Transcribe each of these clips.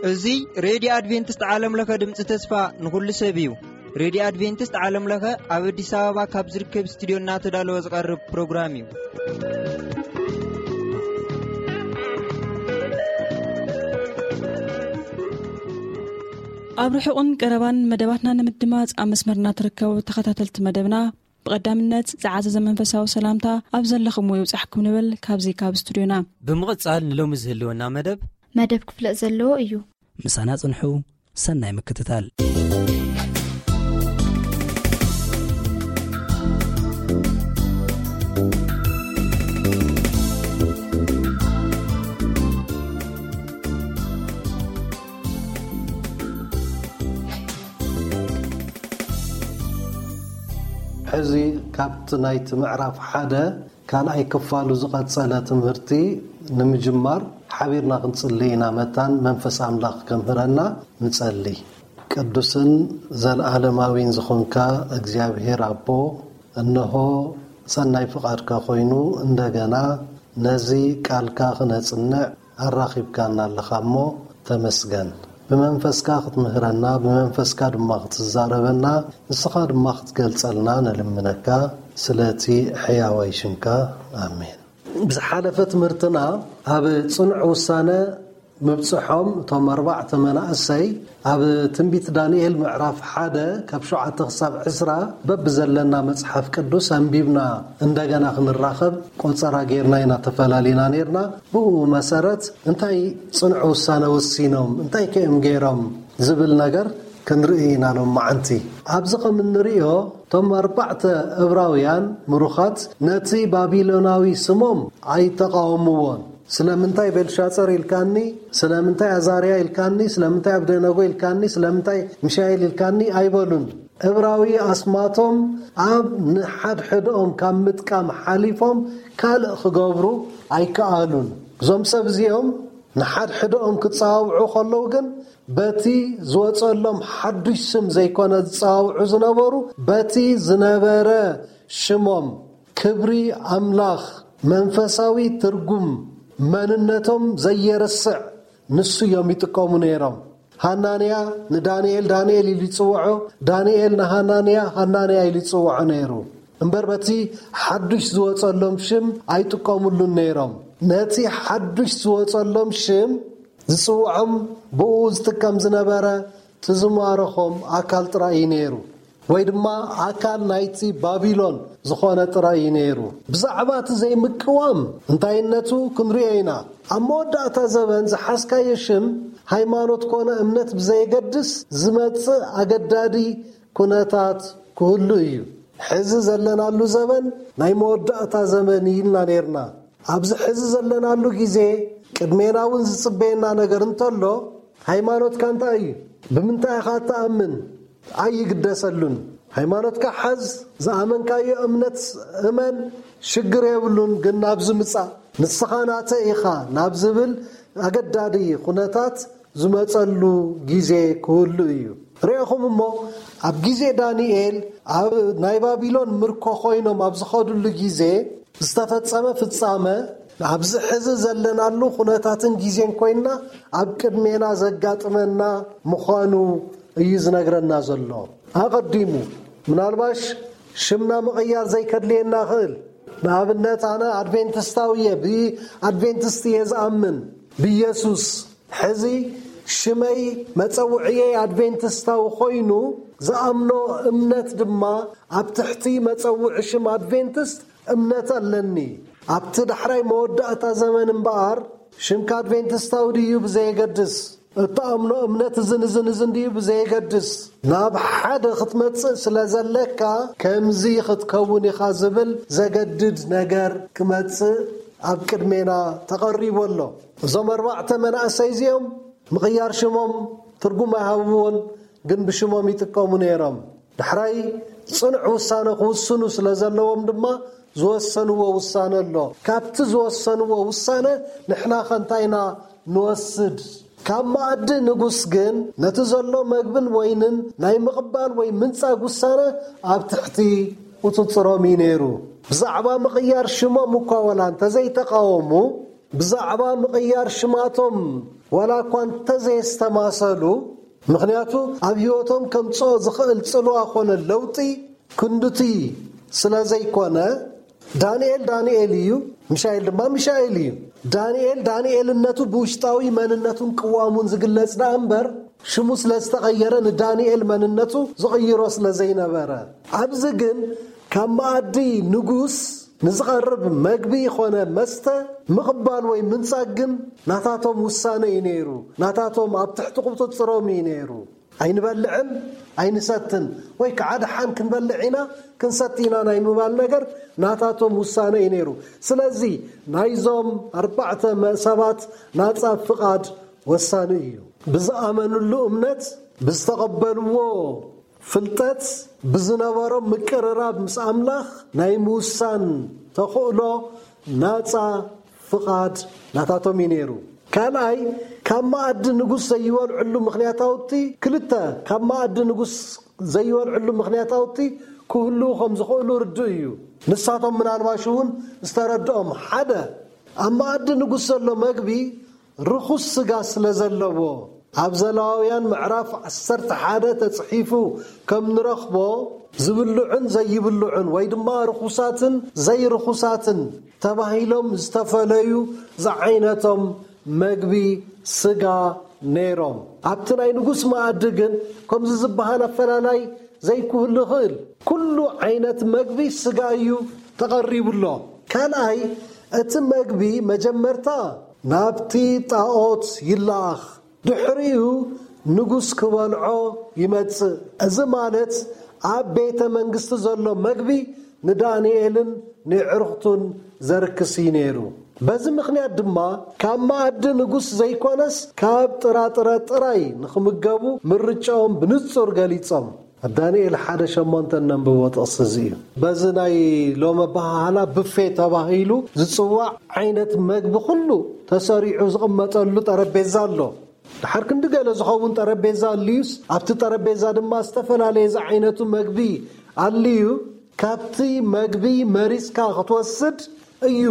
እዚ ሬድዮ ኣድቬንቲስት ዓለም ለኸ ድምፂ ተስፋ ንኹሉ ሰብ እዩ። ሬድዮ ኣድቬንቲስት ዓለም ለኸ ኣብ ኣዲስ ኣበባ ካብ ዝርከብ ስቱዲዮ እናተዳለወ ዝቐርብ ፕሮግራም እዩ። ኣብ ርሑቕን ቀረባን መደባትና ንምድማፅ ኣብ መስመርና ትርከቡ ተኸታተልቲ መደብና፣ ብቐዳምነት ዝዓዘዘ መንፈሳዊ ሰላምታ ኣብ ዘለኹምዎ ይብጻሕኩም ንብል ካብዚ ካብ ስቱድዮና። ብምቕጻል ንሎሚ ዝህልወና መደብ መደብ ክፍለጥ ዘለዎ እዩ። ምሳና ጽንሑ። ሰናይ ምክትታል። ሕዚ ካብቲ ናይቲ ምዕራፍ ሓደ ካልኣይ ክፋሉ ዝቐጸለ ትምህርቲ ንምጅማር ሓቢርና ክንጽሊ ኢና። መታን መንፈስ ኣምላኽ ከምህረና ንጸሊ። ቅዱስን ዘለዓለማዊን ዝኾንካ እግዚኣብሔር ኣቦ፣ እንሆ ሰናይ ፍቓድካ ኮይኑ እንደገና ነዚ ቃልካ ክነጽንዕ ኣራኺብካና ኣለኻ እሞ ተመስገን። ብመንፈስካ ክትምህረና፣ ብመንፈስካ ድማ ክትዛረበና፣ ንስኻ ድማ ክትገልጸልና ንልምነካ፣ ስለቲ ሕያዋይ ሽምካ። ኣሜን። ብዝሓለፈ ትምህርትና ኣብ ጽኑዕ ውሳነ ምብጽሖም እቶም ኣርባዕተ መናእሰይ ኣብ ትንቢት ዳንኤል ምዕራፍ ሓደ ካብ ሸውዓተ ክሳብ ዕስራ በብዘለና መጽሓፍ ቅዱስ ኣንቢብና እንደገና ክንራኸብ ቆጸራ ጌርና ኢና ተፈላሊና ኔርና። ብኡ መሰረት እንታይ ጽኑዕ ውሳነ ወሲኖም፣ እንታይ ከ እዮም ገይሮም ዝብል ነገር ክንርኢ ኢና ሎም መዓንቲ። ኣብዚ ከም እንርእዮ እቶም ኣርባዕተ እብራውያን ምሩኻት ነቲ ባቢሎናዊ ስሞም ኣይተቓወምዎን። ስለምንታይ ቤልሻጸር ኢልካኒ? ስለምንታይ ኣዛርያ ኢልካኒ? ስለምንታይ ኣብደነጎ ኢልካኒ? ስለምንታይ ሚሻኤል ኢልካኒ? ኣይበሉን። እብራዊ ኣስማቶም ኣብ ንሓድሕድኦም ካብ ምጥቃም ሓሊፎም ካልእ ክገብሩ ኣይከኣሉን። እዞም ሰብ እዚኦም ንሓድሕድኦም ክጸዋውዑ ከለዉ ግን በቲ ዝወጸሎም ሓዱሽ ስም ዘይኮነ ዝጸዋውዑ ዝነበሩ፣ በቲ ዝነበረ ሽሞም፣ ክብሪ ኣምላኽ፣ መንፈሳዊ ትርጉም መንነቶም ዘየርስዕ ንሱ እዮም ይጥቀሙ ነይሮም። ሃናንያ ንዳንኤል ዳንኤል ኢሉ ይጽውዖ፣ ዳንኤል ንሃናንያ ሃናንያ ኢሉ ይጽውዖ ነይሩ። እምበር በቲ ሓዱሽ ዝወጸሎም ሽም ኣይጥቀሙሉን ነይሮም። ነቲ ሓዱሽ ዝወጸሎም ሽም ዝጽውዖም ብኡ ዝጥቀም ዝነበረ ትዝማረኾም ኣካል ጥራይ እዩ ነይሩ፣ ወይ ድማ ኣካል ናይቲ ባቢሎን ዝኾነ ጥራይ እዩ ነይሩ። ብዛዕባ እቲ ዘይምቅዋም እንታይነቱ ክንሪኦ ኢና። ኣብ መወዳእታ ዘበን ዝሓዝካዮ ሽም፣ ሃይማኖት ኮነ እምነት ብዘየገድስ ዝመጽእ ኣገዳዲ ኩነታት ክህሉ እዩ። ሕዚ ዘለናሉ ዘበን ናይ መወዳእታ ዘመን እዩ ኢልና ነይርና። ኣብዚ ሕዚ ዘለናሉ ግዜ ቅድሜና እውን ዝጽበየና ነገር እንተሎ፣ ሃይማኖትካ እንታይ እዩ? ብምንታይ ኢኻ እትኣምን? ኣይግደሰሉን። ሃይማኖትካ ሓዝ፣ ዝኣመንካዮ እምነት እመን፣ ሽግር የብሉን፣ ግን ናብዚ ምጻእ፣ ንስኻ ናተይ ኢኻ ናብ ዝብል ኣገዳዲ ኩነታት ዝመጸሉ ግዜ ክህሉ እዩ። ርኢኹም እሞ፣ ኣብ ግዜ ዳንኤል ኣብ ናይ ባቢሎን ምርኮ ኮይኖም ኣብ ዝኸድሉ ግዜ ዝተፈጸመ ፍጻመ፣ ኣብዚ ሕዚ ዘለናሉ ኩነታትን ግዜን ኮይንና ኣብ ቅድሜና ዘጋጥመና ምዃኑ እዩ ዝነግረና ዘሎ። ኣቐዲሙ፣ ምናልባሽ ሽምና ምቕያር ዘይከድልየና ይኽእል። ንኣብነት፣ ኣነ ኣድቬንቲስታዊ እየ፣ ብኣድቬንቲስት እየ ዝኣምን፣ ብኢየሱስ። ሕዚ ሽመይ መጸውዕየይ ኣድቬንቲስታዊ ኮይኑ፣ ዝኣምኖ እምነት ድማ ኣብ ትሕቲ መጸውዒ ሽም ኣድቬንቲስት እምነት ኣለኒ። ኣብቲ ዳሕራይ መወዳእታ ዘመን እምበኣር፣ ሽምካ ኣድቬንቲስታዊ ድዩ ብዘየገድስ፣ እትኣምኖ እምነት እዝን እዝን እዝን ድዩ ብዘየገድስ፣ ናብ ሓደ ክትመጽእ ስለ ዘለካ፣ ከምዚ ክትከውን ኢኻ ዝብል ዘገድድ ነገር ክመጽእ ኣብ ቅድሜና ተቐሪቡ ኣሎ። እዞም ኣርባዕተ መናእሰይ እዚኦም ምቕያር ሽሞም ትርጉም ኣይሃብዎን፣ ግን ብሽሞም ይጥቀሙ ነይሮም። ዳሕራይ ጽኑዕ ውሳነ ክውስኑ ስለ ዘለዎም ድማ ዝወሰንዎ ውሳነ ኣሎ። ካብቲ ዝወሰንዎ ውሳነ ንሕና ከ እንታይ ኢና ንወስድ? ካብ መኣዲ ንጉስ ግን ነቲ ዘሎ መግብን ወይንን ናይ ምቕባል ወይ ምንጻግ ውሳነ ኣብ ትሕቲ ቁፅፅሮም እዩ ነይሩ። ብዛዕባ ምቕያር ሽሞም እኳ ወላ እንተዘይተቃወሙ፣ ብዛዕባ ምቕያር ሽማቶም ወላ እኳ እንተዘየስተማሰሉ፣ ምኽንያቱ ኣብ ህይወቶም ከምፅኦ ዝኽእል ፅልዋ ኮነ ለውጢ ክንዱቲ ስለ ዘይኮነ፣ ዳንኤል ዳንኤል እዩ፣ ሚሻኤል ድማ ሚሻኤል እዩ። ዳንኤል ዳንኤልነቱ ብውሽጣዊ መንነቱን ቅዋሙን ዝግለጽ ደኣ እምበር፣ ሽሙ ስለ ዝተቐየረ ንዳንኤል መንነቱ ዝቕይሮ ስለ ዘይነበረ። ኣብዚ ግን ካብ መኣዲ ንጉስ ንዝቐርብ መግቢ ይኾነ መስተ ምቕባል ወይ ምንጻግ ግን ናታቶም ውሳነ እዩ ነይሩ። ናታቶም ኣብ ትሕቲ ቁጽጽሮም እዩ ነይሩ። ኣይንበልዕን ኣይንሰትን ወይ ከዓ ደሓን ክንበልዕ ኢና ክንሰቲ ኢና ናይ ምባል ነገር ናታቶም ውሳነ እዩ ነይሩ። ስለዚ ናይዞም ኣርባዕተ መ- ሰባት ናፃ ፍቓድ ወሳኒ እዩ። ብዝኣመንሉ እምነት፣ ብዝተቐበልዎ ፍልጠት፣ ብዝነበሮም ምቅርራብ ምስ ኣምላኽ ናይ ምውሳን ተኽእሎ ናፃ ፍቓድ ናታቶም እዩ ነይሩ። ካልኣይ፣ ካብ መኣዲ ንጉስ ዘይበልዕሉ ምኽንያታውቲ ክልተ፣ ካብ መኣዲ ንጉስ ዘይበልዕሉ ምኽንያታውቲ ክህልዉ ከም ዝኽእሉ ርዱእ እዩ። ንሳቶም ምናልባሽ እውን ዝተረድኦም ሓደ፣ ኣብ መኣዲ ንጉስ ዘሎ መግቢ ርኹስ ስጋ ስለ ዘለዎ፣ ኣብ ዘለዋውያን ምዕራፍ ዓሰርተ ሓደ ተጽሒፉ ከም ንረኽቦ፣ ዝብልዑን ዘይብልዑን ወይ ድማ ርኹሳትን ዘይርኹሳትን ተባሂሎም ዝተፈለዩ ዝዓይነቶም መግቢ ስጋ ነይሮም። ኣብቲ ናይ ንጉስ መኣዲ ግን ከምዚ ዝበሃል ኣፈላላይ ዘይክህሉ ይኽእል። ኩሉ ዓይነት መግቢ ስጋ እዩ ተቐሪቡሎ። ካልኣይ፣ እቲ መግቢ መጀመርታ ናብቲ ጣኦት ይለኣኽ፣ ድሕሪኡ ንጉስ ክበልዖ ይመጽእ። እዚ ማለት ኣብ ቤተ መንግስቲ ዘሎ መግቢ ንዳንኤልን ንዕሩኽቱን ዘርክስ እዩ ነይሩ። በዚ ምኽንያት ድማ ካብ መኣዲ ንጉስ ዘይኮነስ ካብ ጥራጥረ ጥራይ ንኽምገቡ ምርጫኦም ብንጹር ገሊጾም። ኣብ ዳንኤል ሓደ ሸሞንተ እነንብቦ ጥቕሲ እዚ እዩ። በዚ ናይ ሎም ኣበሃህላ ብፌ ተባሂሉ ዝጽዋዕ ዓይነት መግቢ ኩሉ ተሰሪዑ ዝቕመጠሉ ጠረጴዛ ኣሎ። ድሓር ክንዲ ገለ ዝኸውን ጠረጴዛ ኣልዩስ ኣብቲ ጠረጴዛ ድማ ዝተፈላለየ ዝዓይነቱ መግቢ ኣልዩ፣ ካብቲ መግቢ መሪጽካ ክትወስድ እዩ።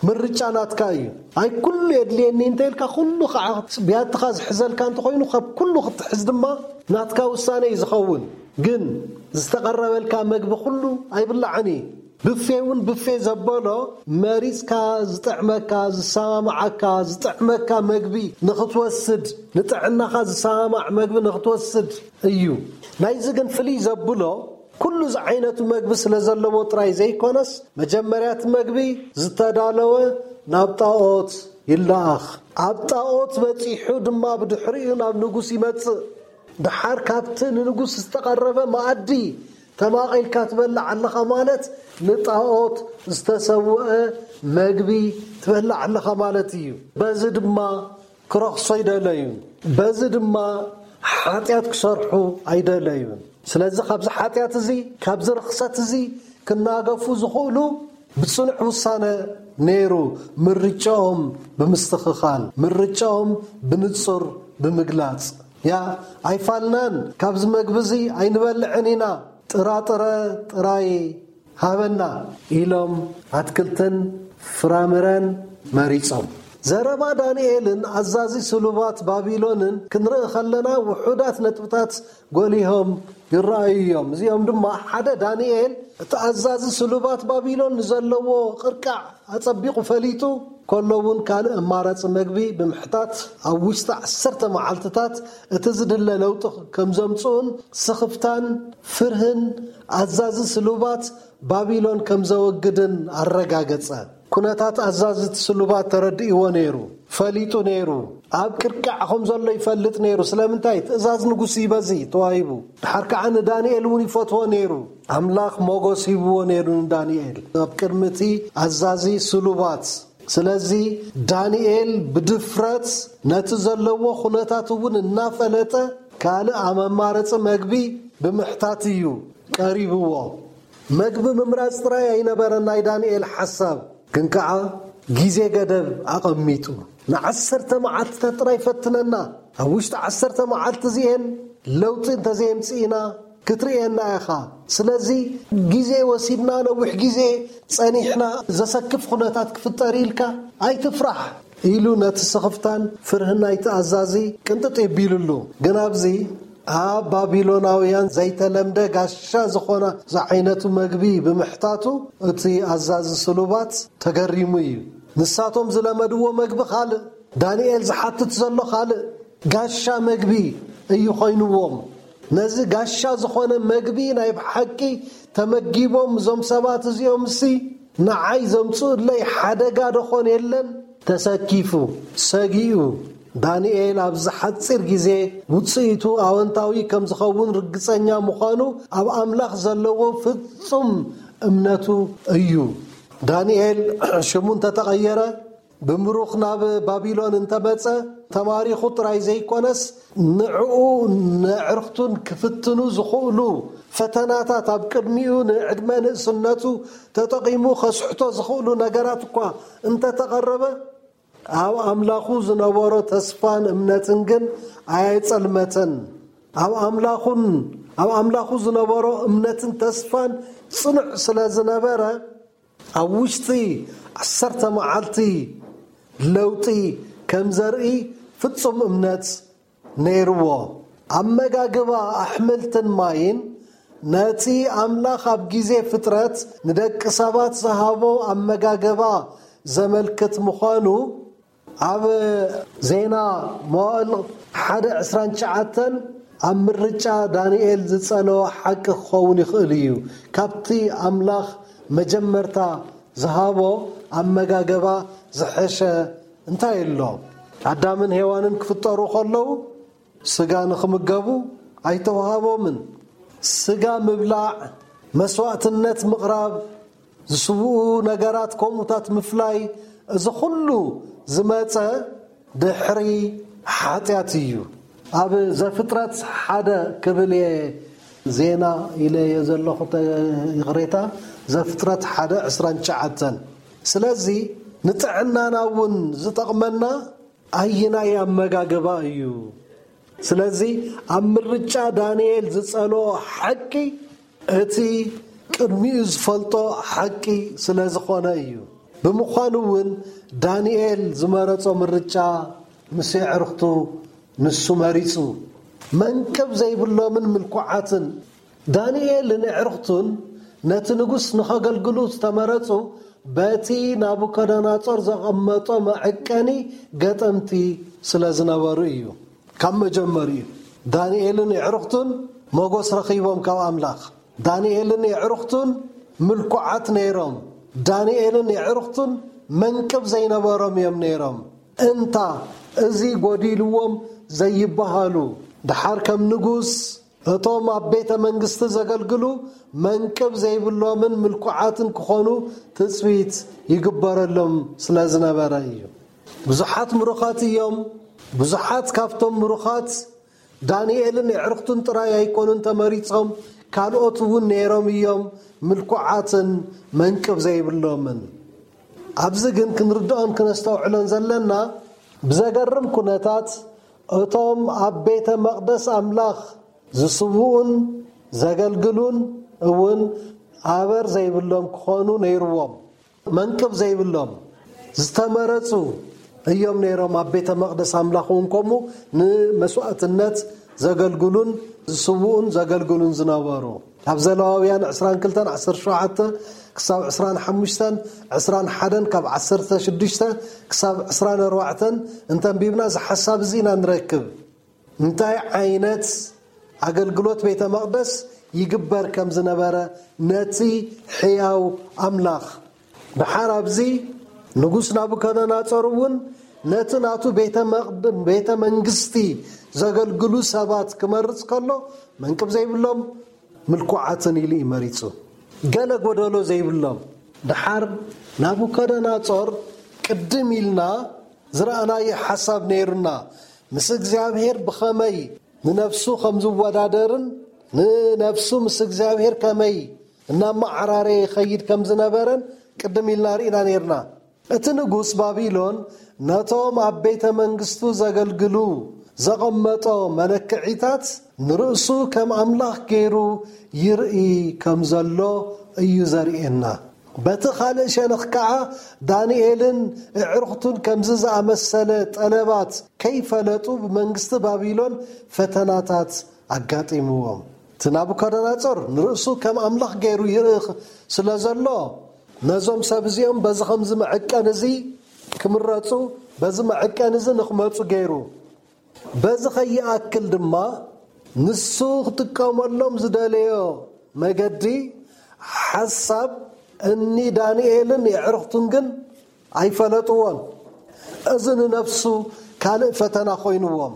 ምርጫ ናትካ እዩ። ኣይ ኩሉ የድልየኒ እንተ ኢልካ ኩሉ ከዓ ብያትኻ ዝሕዘልካ እንተኾይኑ ካብ ኩሉ ክትሕዝ ድማ ናትካ ውሳነ እዩ ዝኸውን። ግን ዝተቐረበልካ መግቢ ኩሉ ኣይብላዕን እዩ። ብፌ እውን ብፌ ዘበሎ መሪጽካ ዝጥዕመካ ዝሰማምዓካ ዝጥዕመካ መግቢ ንኽትወስድ፣ ንጥዕናኻ ዝሰማማዕ መግቢ ንኽትወስድ እዩ። ናይዚ ግን ፍልይ ዘብሎ ኩሉ ዝዓይነቱ መግቢ ስለ ዘለዎ ጥራይ ዘይኮነስ፣ መጀመርያ እቲ መግቢ ዝተዳለወ ናብ ጣኦት ይለኣኽ። ኣብ ጣኦት በጺሑ ድማ ብድሕሪኡ ናብ ንጉስ ይመጽእ። ድሓር ካብቲ ንንጉስ ዝተቐረበ መኣዲ ተማቒልካ ትበልዕ ኣለኻ ማለት ንጣኦት ዝተሰውአ መግቢ ትበልዕ ኣለኻ ማለት እዩ። በዚ ድማ ክረኽሶ ኣይደለዩን። በዚ ድማ ሓጢኣት ክሰርሑ ኣይደለዩን። ስለዚ ካብዚ ሓጢኣት እዚ፣ ካብዚ ርኽሰት እዚ ክናገፉ ዝኽእሉ ብጽኑዕ ውሳነ ነይሩ፣ ምርጫኦም ብምስትኽኻል፣ ምርጫኦም ብንጹር ብምግላጽ። ያ ኣይፋልናን፣ ካብዚ መግቢ እዚ ኣይንበልዕን ኢና፣ ጥራጥረ ጥራይ ሃበና ኢሎም ኣትክልትን ፍራምረን መሪጾም። ዘረባ ዳንኤልን ኣዛዚ ስሉባት ባቢሎንን ክንርኢ ከለና ውሑዳት ነጥብታት ጎሊሆም ይረኣዩ እዮም። እዚኦም ድማ ሓደ ዳንኤል እቲ ኣዛዚ ስሉባት ባቢሎን ንዘለዎ ቅርቃዕ ኣጸቢቑ ፈሊጡ ከሎ እውን ካልእ ኣማራጺ መግቢ ብምሕታት ኣብ ውሽጢ ዓሰርተ መዓልትታት እቲ ዝድለ ለውጢ ከም ዘምጽኡን ስኽፍታን ፍርህን ኣዛዚ ስሉባት ባቢሎን ከም ዘወግድን ኣረጋገጸ። ኩነታት ኣዛዝቲ ስሉባት ተረዲእዎ ነይሩ፣ ፈሊጡ ነይሩ። ኣብ ቅርቃዕ ከም ዘሎ ይፈልጥ ነይሩ። ስለምንታይ? ትእዛዝ ንጉስ እዩ በዚ ተዋሂቡ። ድሓር ከዓ ንዳንኤል እውን ይፈትዎ ነይሩ። ኣምላኽ ሞጎስ ሂብዎ ነይሩ ንዳንኤል ኣብ ቅድሚ እቲ ኣዛዚ ስሉባት። ስለዚ ዳንኤል ብድፍረት ነቲ ዘለዎ ኩነታት እውን እናፈለጠ ካልእ ኣመማረፂ መግቢ ብምሕታት እዩ ቀሪብዎ። መግቢ ምምራፅ ጥራይ ኣይነበረን ናይ ዳንኤል ሓሳብ፣ ግን ከዓ ግዜ ገደብ ኣቐሚጡ። ንዓሰርተ መዓልትታት ጥራይ ፈትነና፣ ኣብ ውሽጢ ዓሰርተ መዓልቲ እዚኤን ለውጢ እንተዘየምፅእና ክትርእየና ኢኻ። ስለዚ ግዜ ወሲድና፣ ነዊሕ ግዜ ጸኒሕና፣ ዘሰክፍ ኩነታት ክፍጠር ኢልካ ኣይትፍራሕ ኢሉ ነቲ ስኽፍታን ፍርህን ናይቲ ኣዛዚ ቅንጥጥ የቢሉሉ። ግን ኣብዚ ኣብ ባቢሎናውያን ዘይተለምደ ጋሻ ዝኾነ ዝዓይነቱ መግቢ ብምሕታቱ፣ እቲ ኣዛዚ ስሉባት ተገሪሙ እዩ። ንሳቶም ዝለመድዎ መግቢ ካልእ፣ ዳንኤል ዝሓትት ዘሎ ካልእ፣ ጋሻ መግቢ እዩ ኮይንዎም። ነዚ ጋሻ ዝኾነ መግቢ ናይ ብሓቂ ተመጊቦም እዞም ሰባት እዚኦም፣ እሲ ንዓይ ዘምጽኡለይ ሓደጋ ደኾን የለን? ተሰኪፉ፣ ሰጊኡ፣ ዳንኤል ኣብዚ ሓጺር ግዜ ውጽኢቱ ኣወንታዊ ከም ዝኸውን ርግጸኛ ምዃኑ ኣብ ኣምላኽ ዘለዎ ፍጹም እምነቱ እዩ። ዳንኤል ሽሙ እንተተቐየረ፣ ብምሩኽ ናብ ባቢሎን እንተመጸ፣ ተማሪኹ ጥራይ ዘይኮነስ፣ ንዕኡ ንዕርኽቱን ክፍትኑ ዝኽእሉ ፈተናታት፣ ኣብ ቅድሚኡ ንዕድመ ንእስነቱ ተጠቒሙ ከስሕቶ ዝኽእሉ ነገራት እኳ እንተተቐረበ፣ ኣብ ኣምላኹ ዝነበሮ ተስፋን እምነትን ግን ኣየጸልመተን። ኣብ ኣምላኹን፣ ኣብ ኣምላኹ ዝነበሮ እምነትን ተስፋን ጽኑዕ ስለ ዝነበረ፣ ኣብ ውሽጢ ዓሰርተ መዓልቲ ለውጢ ከም ዘርኢ ፍጹም እምነት ነይርዎ። ኣመጋግባ ኣሕምልትን ማይን ነቲ ኣምላኽ ኣብ ግዜ ፍጥረት ንደቂ ሰባት ዝሃቦ ኣመጋግባ ዘመልክት ምዃኑ ኣብ ዜና መዋእል ሓደ ዕስራን ትሽዓተን ኣብ ምርጫ ዳንኤል ዝጸለወ ሓቂ ክኸውን ይኽእል እዩ። ካብቲ ኣምላኽ መጀመርታ ዝሃቦ ኣመጋገባ ዝሐሸ እንታይ ኣሎ? ኣዳምን ሄዋንን ክፍጠሩ ከለዉ ስጋ ንኽምገቡ ኣይተዋሃቦምን። ስጋ ምብላዕ፣ መስዋእትነት ምቕራብ፣ ዝስውኡ ነገራት ከምኡታት ምፍላይ፣ እዚ ኩሉ ዝመጸ ድሕሪ ሓጢኣት እዩ። ኣብ ዘፍጥረት ሓደ ክብል እየ፣ ዜና ኢለ እየ ዘለኹ፣ ተ-፣ ይቕሬታ፣ ዘፍጥረት ሓደ ዕስራን ትሽዓተን። ስለዚ ንጥዕናና እውን ዝጠቕመና ኣይናይ ኣመጋግባ እዩ። ስለዚ ኣብ ምርጫ ዳንኤል ዝጸልኦ ሓቂ እቲ ቅድሚኡ ዝፈልጦ ሓቂ ስለ ዝኾነ እዩ። ብምዃኑ እውን ዳንኤል ዝመረጾ ምርጫ ምስ የዕርኽቱ ንሱ መሪጹ። መንቅብ ዘይብሎምን ምልኩዓትን ዳንኤልን ኣዕሩኽቱን ነቲ ንጉስ ንኸገልግሉ ዝተመረጹ፣ በቲ ናቡከደነጾር ዘቐመጦ መዐቀኒ ገጠምቲ ስለ ዝነበሩ እዩ። ካብ መጀመሪኡ ዳንኤልን ኣዕሩኽቱን ሞገስ ረኺቦም ካብ ኣምላኽ። ዳንኤልን ኣዕሩኽቱን ምልኩዓት ነይሮም። ዳንኤልን ኣዕሩኽቱን መንቅብ ዘይነበሮም እዮም ነይሮም። እንታ እዚ ጎዲልዎም ዘይበሃሉ፣ ድሓር ከም ንጉስ እቶም ኣብ ቤተ መንግስቲ ዘገልግሉ መንቅብ ዘይብሎምን ምልኩዓትን ክኾኑ ትጽቢት ይግበረሎም ስለ ዝነበረ እዩ። ብዙሓት ምሩኻት እዮም። ብዙሓት ካብቶም ምሩኻት ዳንኤልን ኣዕሩኽቱን ጥራይ ኣይኮኑን ተመሪጾም፣ ካልኦት እውን ነይሮም እዮም፣ ምልኩዓትን መንቅብ ዘይብሎምን። ኣብዚ ግን ክንርድኦን ክነስተውዕሎን ዘለና፣ ብዘገርም ኩነታት እቶም ኣብ ቤተ መቕደስ ኣምላኽ ዝስውኡን ዘገልግሉን እውን ኣበር ዘይብሎም ክኾኑ ነይርዎም። መንቅብ ዘይብሎም ዝተመረጹ እዮም ነይሮም። ኣብ ቤተ መቕደስ ኣምላኽ እውን ከምኡ ንመስዋእትነት ዘገልግሉን ዝስውኡን ዘገልግሉን ዝነበሩ። ኣብ ዘለዋውያን ዕስራን ክልተን ዓሰርተ ሸውዓተ ክሳብ ዕስራን ሓሙሽተን፣ ዕስራን ሓደን ካብ ዓሰርተ ሽዱሽተ ክሳብ ዕስራን ኣርባዕተን እንተንቢብና እዚ ሓሳብ እዚ ኢና ንረክብ። እንታይ ዓይነት ኣገልግሎት ቤተ መቕደስ ይግበር ከም ዝነበረ ነቲ ሕያው ኣምላኽ። ድሓር ኣብዚ ንጉስ ናቡከደነጾር እውን ነቲ ናቱ ቤተ መቕድ-፣ ቤተ መንግስቲ ዘገልግሉ ሰባት ክመርጽ ከሎ መንቅብ ዘይብሎም ምልኩዓትን ኢሉ እዩ መሪጹ። ገለ ጎደሎ ዘይብሎም። ድሓር ናቡከደነጾር ቅድም ኢልና ዝረኣናዮ ሓሳብ ነይሩና። ምስ እግዚኣብሔር ብኸመይ ንነፍሱ ከም ዝወዳደርን ንነፍሱ ምስ እግዚኣብሔር ከመይ እናመዓራረየ ይኸይድ ከም ዝነበረን ቅድም ኢልና ርኢና ነይርና። እቲ ንጉስ ባቢሎን ነቶም ኣብ ቤተ መንግስቱ ዘገልግሉ ዘቐመጦ መለክዒታት ንርእሱ ከም ኣምላኽ ገይሩ ይርኢ ከም ዘሎ እዩ ዘርእየና። በቲ ካልእ ሸነኽ ከኣ ዳንኤልን ኣዕሩኽቱን ከምዚ ዝኣመሰለ ጠለባት ከይፈለጡ ብመንግስቲ ባቢሎን ፈተናታት ኣጋጢምዎም። እቲ ናቡከደነጾር ንርእሱ ከም ኣምላኽ ገይሩ ይርኢ ስለ ዘሎ ነዞም ሰብ እዚኦም በዚ ከምዚ መዐቀን እዚ ክምረጹ፣ በዚ መዐቀን እዚ ንኽመጹ ገይሩ። በዚ ከይኣክል ድማ ንሱ ክጥቀመሎም ዝደለዮ መገዲ ሓሳብ እኒ ዳንኤልን የዕርኽቱን ግን ኣይፈለጥዎን። እዚ ንነፍሱ ካልእ ፈተና ኮይንዎም፣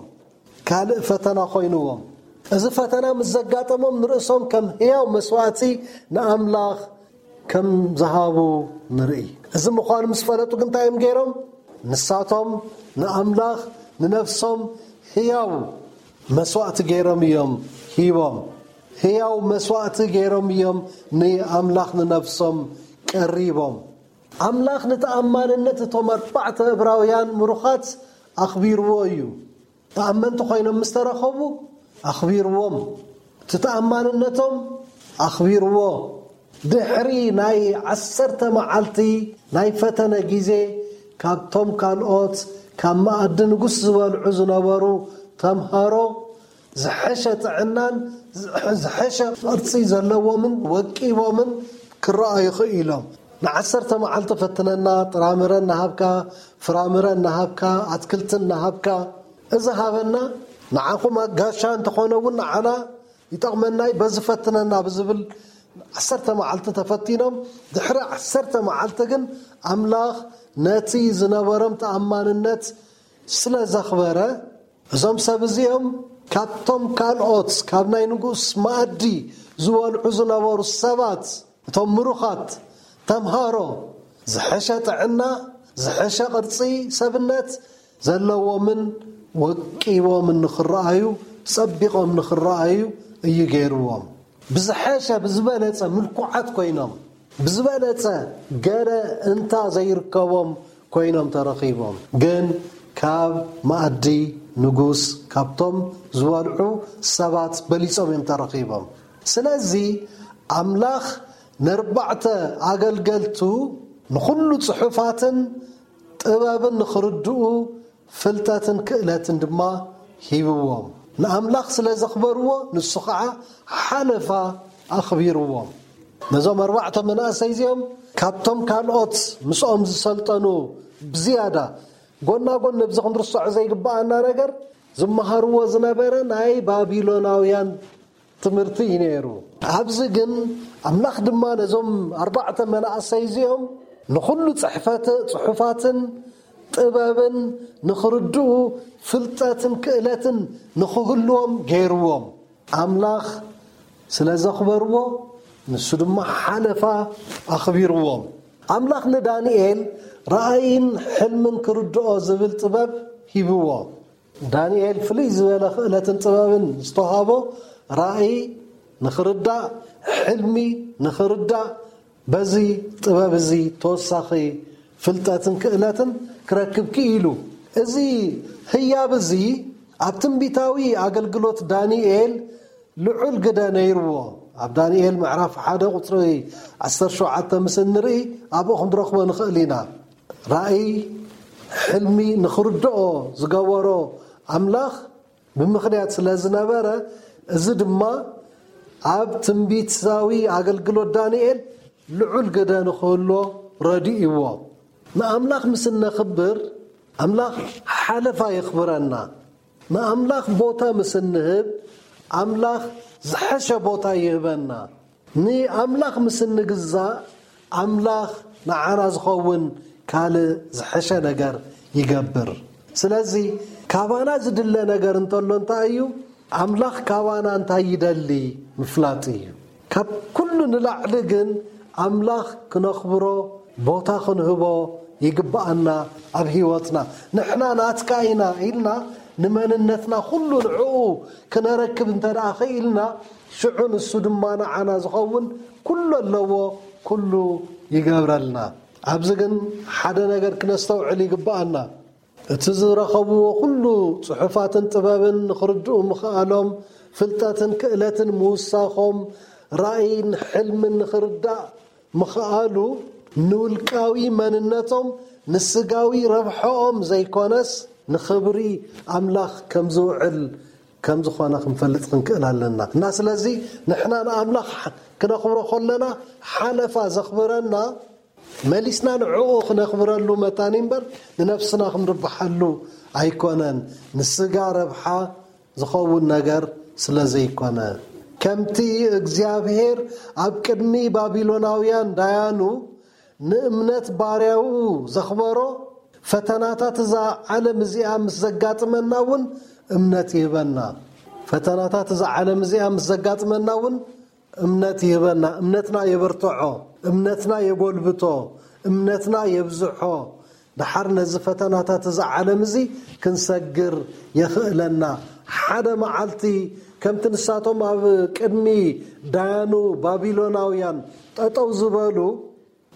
ካልእ ፈተና ኮይንዎም። እዚ ፈተና ምስ ዘጋጠሞም ንርእሶም ከም ህያው መስዋእቲ ንኣምላኽ ከም ዝሃቡ ንርኢ። እዚ ምዃኑ ምስ ፈለጡ ግን እንታይ እዮም ገይሮም? ንሳቶም ንኣምላኽ ንነፍሶም ህያው መስዋእቲ ገይሮም እዮም ሂቦም። ህያው መስዋእቲ ገይሮም እዮም ንኣምላኽ ንነፍሶም ቀሪቦም። ኣምላኽ ንተኣማንነት እቶም ኣርባዕተ እብራውያን ምሩኻት ኣኽቢርዎ እዩ። ተኣመንቲ ኮይኖም ምስ ተረኸቡ ኣኽቢርዎም። እቲ ተኣማንነቶም ኣኽቢርዎ። ድሕሪ ናይ ዓሰርተ መዓልቲ ናይ ፈተነ ግዜ ካብቶም ካልኦት ካብ መኣዲ ንጉስ ዝበልዑ ዝነበሩ ተምሃሮ ዝሐሸ ጥዕናን ዝሐሸ ቅርጺ ዘለዎምን ወቂቦምን ክረኣዩ ክኢሎም። ንዓሰርተ መዓልቲ ፈትነና፣ ጥራምረ እናሃብካ፣ ፍራምረ እናሃብካ፣ ኣትክልቲ እናሃብካ፣ እዚ ሃበና፣ ንዓኹም ጋሻ እንተኾነ እውን ንዓና ይጠቕመናይ፣ በዚ ፈትነና ብዝብል ዓሰርተ መዓልቲ ተፈቲኖም። ድሕሪ ዓሰርተ መዓልቲ ግን ኣምላኽ ነቲ ዝነበሮም ተኣማንነት ስለ ዘኽበረ፣ እዞም ሰብ እዚኦም ካብቶም ካልኦት ካብ ናይ ንጉስ መኣዲ ዝበልዑ ዝነበሩ ሰባት፣ እቶም ምሩኻት ተምሃሮ ዝሐሸ ጥዕና፣ ዝሐሸ ቅርጺ ሰብነት ዘለዎምን ወቂቦምን ንኽረኣዩ፣ ጸቢቖም ንኽረኣዩ እዩ ገይርዎም። ብዝሐሸ ብዝበለጸ ምልኩዓት ኮይኖም፣ ብዝበለጸ ገለ እንታ ዘይርከቦም ኮይኖም ተረኺቦም። ግን ካብ መኣዲ ንጉስ ካብቶም ዝበልዑ ሰባት በሊጾም እዮም ተረኺቦም። ስለዚ ኣምላኽ ነርባዕተ ኣገልገልቱ ንኹሉ ጽሑፋትን ጥበብን ንኽርድኡ ፍልጠትን ክእለትን ድማ ሂብዎም። ንኣምላኽ ስለ ዘኽበርዎ ንሱ ኸዓ ሓለፋ ኣኽቢርዎም። ነዞም ኣርባዕተ መናእሰይ እዚኦም ካብቶም ካልኦት ምስኦም ዝሰልጠኑ ብዝያዳ ጎና ጎን ነብዚ ክንርስዖ ዘይግብኣና ነገር ዝመሃርዎ ዝነበረ ናይ ባቢሎናውያን ትምህርቲ እዩ ነይሩ። ኣብዚ ግን ኣምላኽ ድማ ነዞም ኣርባዕተ መናእሰይ እዚኦም ንኹሉ ጽሕፈት ጽሑፋትን ጥበብን ንኽርድኡ ፍልጠትን ክእለትን ንኽህልዎም ገይርዎም። ኣምላኽ ስለ ዘኽበርዎ ንሱ ድማ ሓለፋ ኣኽቢርዎም። ኣምላኽ ንዳንኤል ራእይን ሕልምን ክርድኦ ዝብል ጥበብ ሂብዎ። ዳንኤል ፍልይ ዝበለ ክእለትን ጥበብን ዝተዋህቦ ራእይ ንኽርዳእ፣ ሕልሚ ንኽርዳእ፣ በዚ ጥበብ እዚ ተወሳኺ ፍልጠትን ክእለትን ክረክብ ክኢሉ። እዚ ህያብ እዚ ኣብ ትንቢታዊ ኣገልግሎት ዳንኤል ልዑል ግደ ነይርዎ። ኣብ ዳንኤል ምዕራፍ ሓደ ቁጽሪ ዓሰርተ ሸውዓተ ምስ እንርኢ ኣብኡ ክንረኽቦ ንኽእል ኢና። ራእይ፣ ሕልሚ ንኽርድኦ ዝገበሮ ኣምላኽ ብምኽንያት ስለ ዝነበረ፣ እዚ ድማ ኣብ ትንቢታዊ ኣገልግሎት ዳንኤል ልዑል ግደ ንኽህልዎ ረዲእዎ። ንኣምላኽ ምስ እነኽብር፣ ኣምላኽ ሓለፋ የኽብረና። ንኣምላኽ ቦታ ምስ እንህብ፣ ኣምላኽ ዝሐሸ ቦታ ይህበና። ንኣምላኽ ምስ እንግዛእ፣ ኣምላኽ ንዓና ዝኸውን ካልእ ዝሐሸ ነገር ይገብር። ስለዚ ካባና ዝድለ ነገር እንተሎ እንታይ እዩ? ኣምላኽ ካባና እንታይ ይደሊ ምፍላጥ እዩ። ካብ ኩሉ ንላዕሊ ግን ኣምላኽ ክነኽብሮ፣ ቦታ ክንህቦ ይግብኣና ኣብ ህይወትና። ንሕና ናትካ ኢና ኢልና ንመንነትና ኩሉ ንዕኡ ክነረክብ እንተ ደኣ ኽኢልና፣ ሽዑ ንሱ ድማ ንዓና ዝኸውን ኩሉ ኣለዎ፣ ኩሉ ይገብረልና። ኣብዚ ግን ሓደ ነገር ክነስተውዕል ይግብኣና። እቲ ዝረኸብዎ ኩሉ ጽሑፋትን ጥበብን ንኽርድኡ ምኽኣሎም ፍልጠትን ክእለትን ምውሳኾም፣ ራእይን ሕልምን ንኽርዳእ ምኽኣሉ፣ ንውልቃዊ መንነቶም፣ ንስጋዊ ረብሐኦም ዘይኮነስ፣ ንኽብሪ ኣምላኽ ከም ዝውዕል ከም ዝኾነ ክንፈልጥ ክንክእል ኣለና። እና ስለዚ ንሕና ንኣምላኽ ክነኽብሮ ከለና፣ ሓለፋ ዘኽብረና መሊስና ንዕኡ ክነኽብረሉ መታን እምበር፣ ንነፍስና ክንርብሓሉ ኣይኮነን። ንስጋ ረብሓ ዝኸውን ነገር ስለ ዘይኮነ፣ ከምቲ እግዚኣብሔር ኣብ ቅድሚ ባቢሎናውያን ዳያኑ ንእምነት ባርያኡ ዘኽበሮ፣ ፈተናታት እዛ ዓለም እዚኣ ምስ ዘጋጥመና እውን እምነት ይህበና። ፈተናታት እዛ ዓለም እዚኣ ምስ ዘጋጥመና እውን እምነት ይህበና፣ እምነትና የበርትዖ፣ እምነትና የጎልብቶ፣ እምነትና የብዝሖ። ደሓር ነዚ ፈተናታት እዚ ዓለም እዚ ክንሰግር የኽእለና። ሓደ መዓልቲ ከምቲ ንሳቶም ኣብ ቅድሚ ዳያኑ ባቢሎናውያን ጠጠው ዝበሉ፣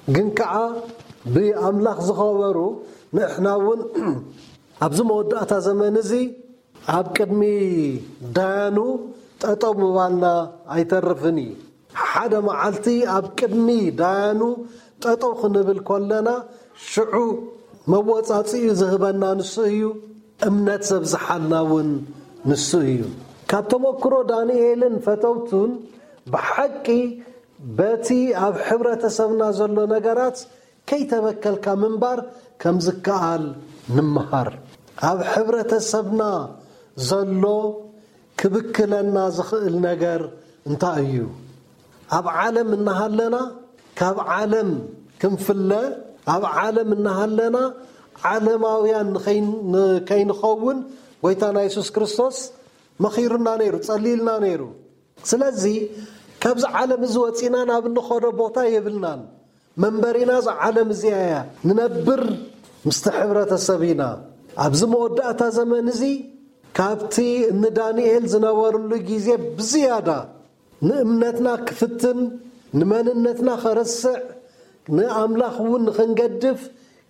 ግን ከዓ ብኣምላኽ ዝኸበሩ፣ ንሕና እውን ኣብዚ መወዳእታ ዘመን እዚ ኣብ ቅድሚ ዳያኑ ጠጠው ምባልና ኣይተርፍን እዩ። ሓደ መዓልቲ ኣብ ቅድሚ ዳያኑ ጠጠው ክንብል ከለና፣ ሽዑ መወጻጽኡ ዝህበና ንሱ እዩ። እምነት ዘብዝሓልና እውን ንሱ እዩ። ካብ ተመክሮ ዳንኤልን ፈተውቱን፣ ብሓቂ በቲ ኣብ ሕብረተሰብና ዘሎ ነገራት ከይተበከልካ ምንባር ከም ዝከኣል ንምሃር። ኣብ ሕብረተሰብና ዘሎ ክብክለና ዝኽእል ነገር እንታይ እዩ? ኣብ ዓለም እናሃለና፣ ካብ ዓለም ክንፍለ፣ ኣብ ዓለም እናሃለና ዓለማውያን ንኸይን-፣ ንከይንኸውን ጎይታና የሱስ ክርስቶስ መኺሩና ነይሩ፣ ጸሊልና ነይሩ። ስለዚ ካብዚ ዓለም እዚ ወጺና ናብ እንኸዶ ቦታ የብልናን። መንበሪና እዛ ዓለም እዚኣ እያ። ንነብር ምስቲ ሕብረተሰብ ኢና። ኣብዚ መወዳእታ ዘመን እዚ ካብቲ እኒ ዳንኤል ዝነበሩሉ ግዜ ብዝያዳ ንእምነትና ክፍትን፣ ንመንነትና ኸርስዕ፣ ንኣምላኽ እውን ንኽንገድፍ፣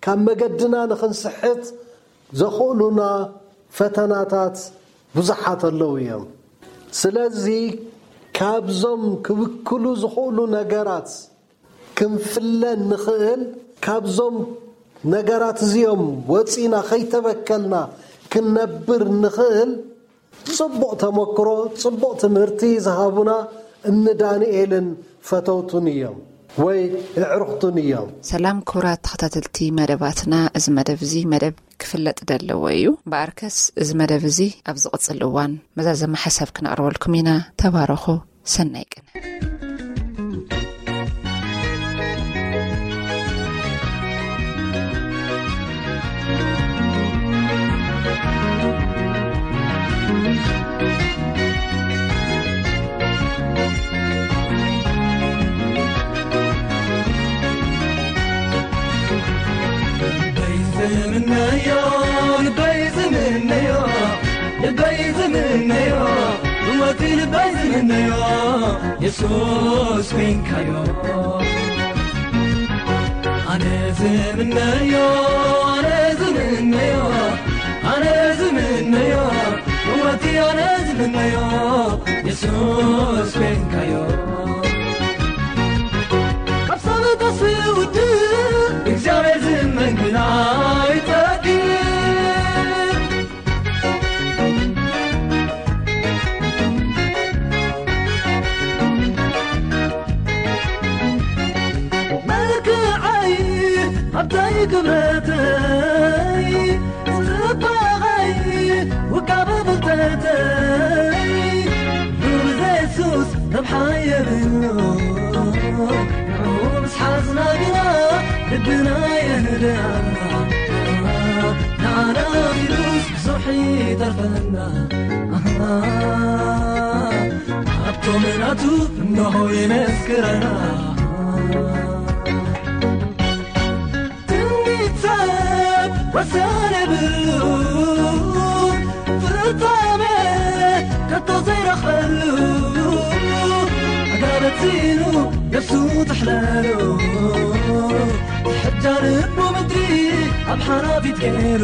ካብ መገድና ንኽንስሕት ዘኽእሉና ፈተናታት ብዙሓት ኣለዉ እዮም። ስለዚ ካብዞም ክብክሉ ዝኽእሉ ነገራት ክንፍለ ንኽእል፣ ካብዞም ነገራት እዚኦም ወፂና ኸይተበከልና ክንነብር ንኽእል፣ ጽቡቕ ተመክሮ፣ ጽቡቕ ትምህርቲ ዝሃቡና እኒ ዳንኤልን ፈተውቱን እዮም፣ ወይ ኣዕሩኽቱን እዮም። ሰላም ክቡራት ተኸታተልቲ መደባትና፣ እዚ መደብ እዚ መደብ ክፍለጥ ደለዎ እዩ። እምበኣርከስ እዚ መደብ እዚ ኣብ ዝቕጽል እዋን መዛዘሚ ሓሳብ ክነቕርበልኩም ኢና። ተባረኹ። ሰናይ ቅነ። ልበይ ዝምነዮ፣ ልበይ ዝምነዮ፣ ልበይ ዝምነዮ፣ እወቲ ልበይ ዝምነዮ፣ የሱስ ኮይንካዮ። ኣነ ዝምነዮ፣ ኣነ ዝምነዮ፣ ኣነ ዝምነዮ፣ እወቲ ኣነ ዝምነዮ፣ የሱስ ኮይንካዮ። ካብ ሰብ ተስውድእ እግዚኣብሔር ዝመን ግን ኣይጠግብ። መልክዐይ ሃብተይ ክብረተይ ጽባቐይ ውቃበ ፍልጠተይ ብብዘ የሱስ ረብሓ የብሉ። ንዕኡ ምስ ሓዝና ግና ልብና የህድኣና። ንዓና ኢሉስ ብዙሕ ይተርፈና። ኣሃ፣ ኣብቶም ናቱ እነሆ ይመስክረና። ትምኒት ሰብ ወሰን የብሉን፣ ፍጻሜ ከቶ ዘይረኽበሉ። ኣጋበቲኑ ነፍሱ ተሕለሉ፣ ሕጃ ልቡ ምድሪ ኣብ ሓራፊት ገይሩ፣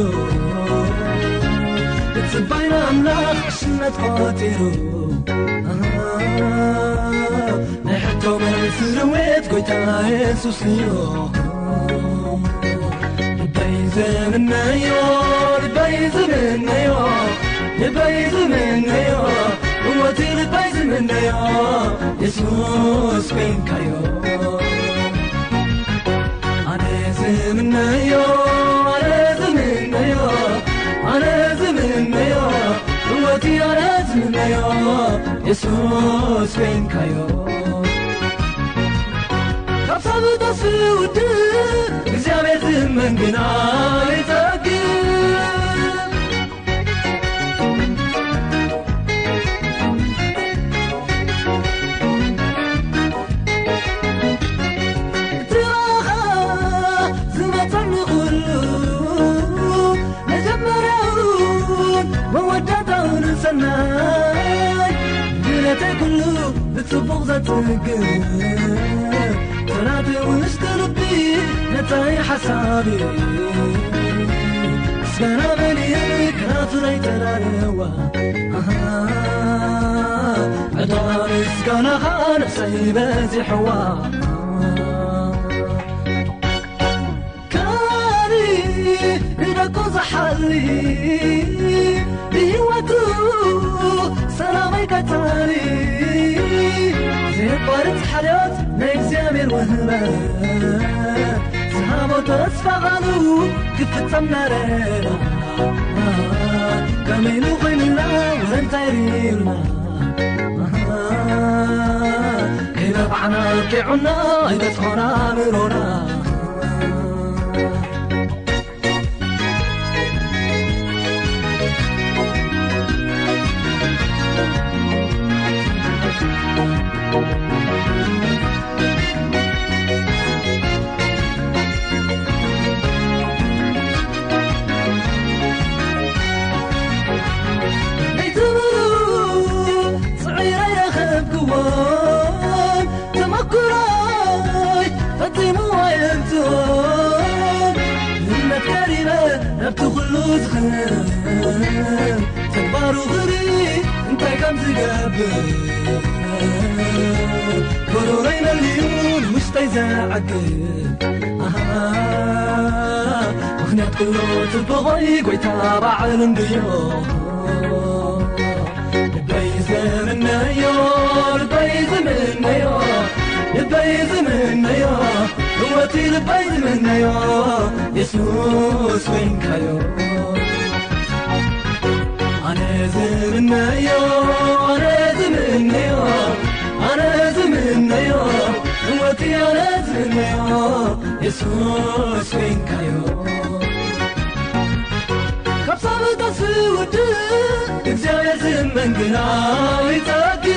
ብጽባይና ኣምላኽ ዕሽነት ቆጺሩ። ናይ ሕቶ መልሲ ድዌት ጎይታ የሱስ እዩ። ልበይ ዝምነዮ፣ ልበይ ዝምነዮ፣ ልበይ ዝምነዮ፣ እወቲ ልበይ ዝምነዮ፣ የሱስ ኮይንካዮ። ኣነ ዝምነዮ፣ ኣነ ዝምነዮ፣ ኣነ ዝምነዮ፣ ህይወቲ ኣነ ዝምነዮ፣ የሱስ ኮይንካዮ። ካብ ሰብ ተስፉ ውድእ እግዚኣብሔር ዝመን ግና ይጸግብ። እቲ ዝመጸኒ ኩሉ መጀመርያውን መወዳእታውን ሰናይ፣ ድሌተይ ኩሉ ብጽቡቕ ዘጽግብ፣ ጽናተይ ውሽጢ ልቢ ነታይ ሓሳብ ምስጋና መሊኡ ክናቱ ናይ ተላለዋ። ኣሃ፣ ዕዳ ምስጋናኻ ነፍሰይ በዚሕዋ። ካኒ ንደቁ ዝሓሊ ብህይወቱ ሰላመይ ቀታሊ፣ ዘየቋርጽ ሓልዮት ናይ እግዚኣብሔር ውህበት፣ ዝሃቦ ተስፋ ቓሉ ክፍጸም ናረና። ከመይ ኢሉ ኮይኑና ወረ እንታይ ርኢና? ከይነባዕና ኣብቂዑና ኣይበጽሖና ኣእምሮና። ለይቲ ምሉእ ጽዒረ ረኸብክዎም፣ ተመኩሮይ ፈጺሙ ኣየምጽኦን። እምነት ቀሪበ ናብቲ ኩሉ ዝኽእል ተግባሩ ክርኢ እንታይ ከም ዝገብር፣ ጎሮሮይ መሊኡ ንውሽጠይ ዘዕግብ። ኣሃ፣ ምኽንያት ኩሉ ጽቡቐይ ጎይታ ባዕሉ እንድዮ። ልበይ ዝምነዮ፣ ልበይ ዝምነዮ፣ ልበይ ዝምነዮ፣ ህይወቲ ልበይ ዝምነዮ፣ የሱስ ኮይንካዮ። ኣነ ዝምነዮ፣ ኣነ ዝምነዮ፣ ኣነ ዝምነዮ፣ ህይወቲ ኣነ ዝምነዮ፣ የሱስ ኮይንካዮ። ካብ ሳብታ ዝውድእ እግዚኣብሔር ዝመን ግና ይጸግብ።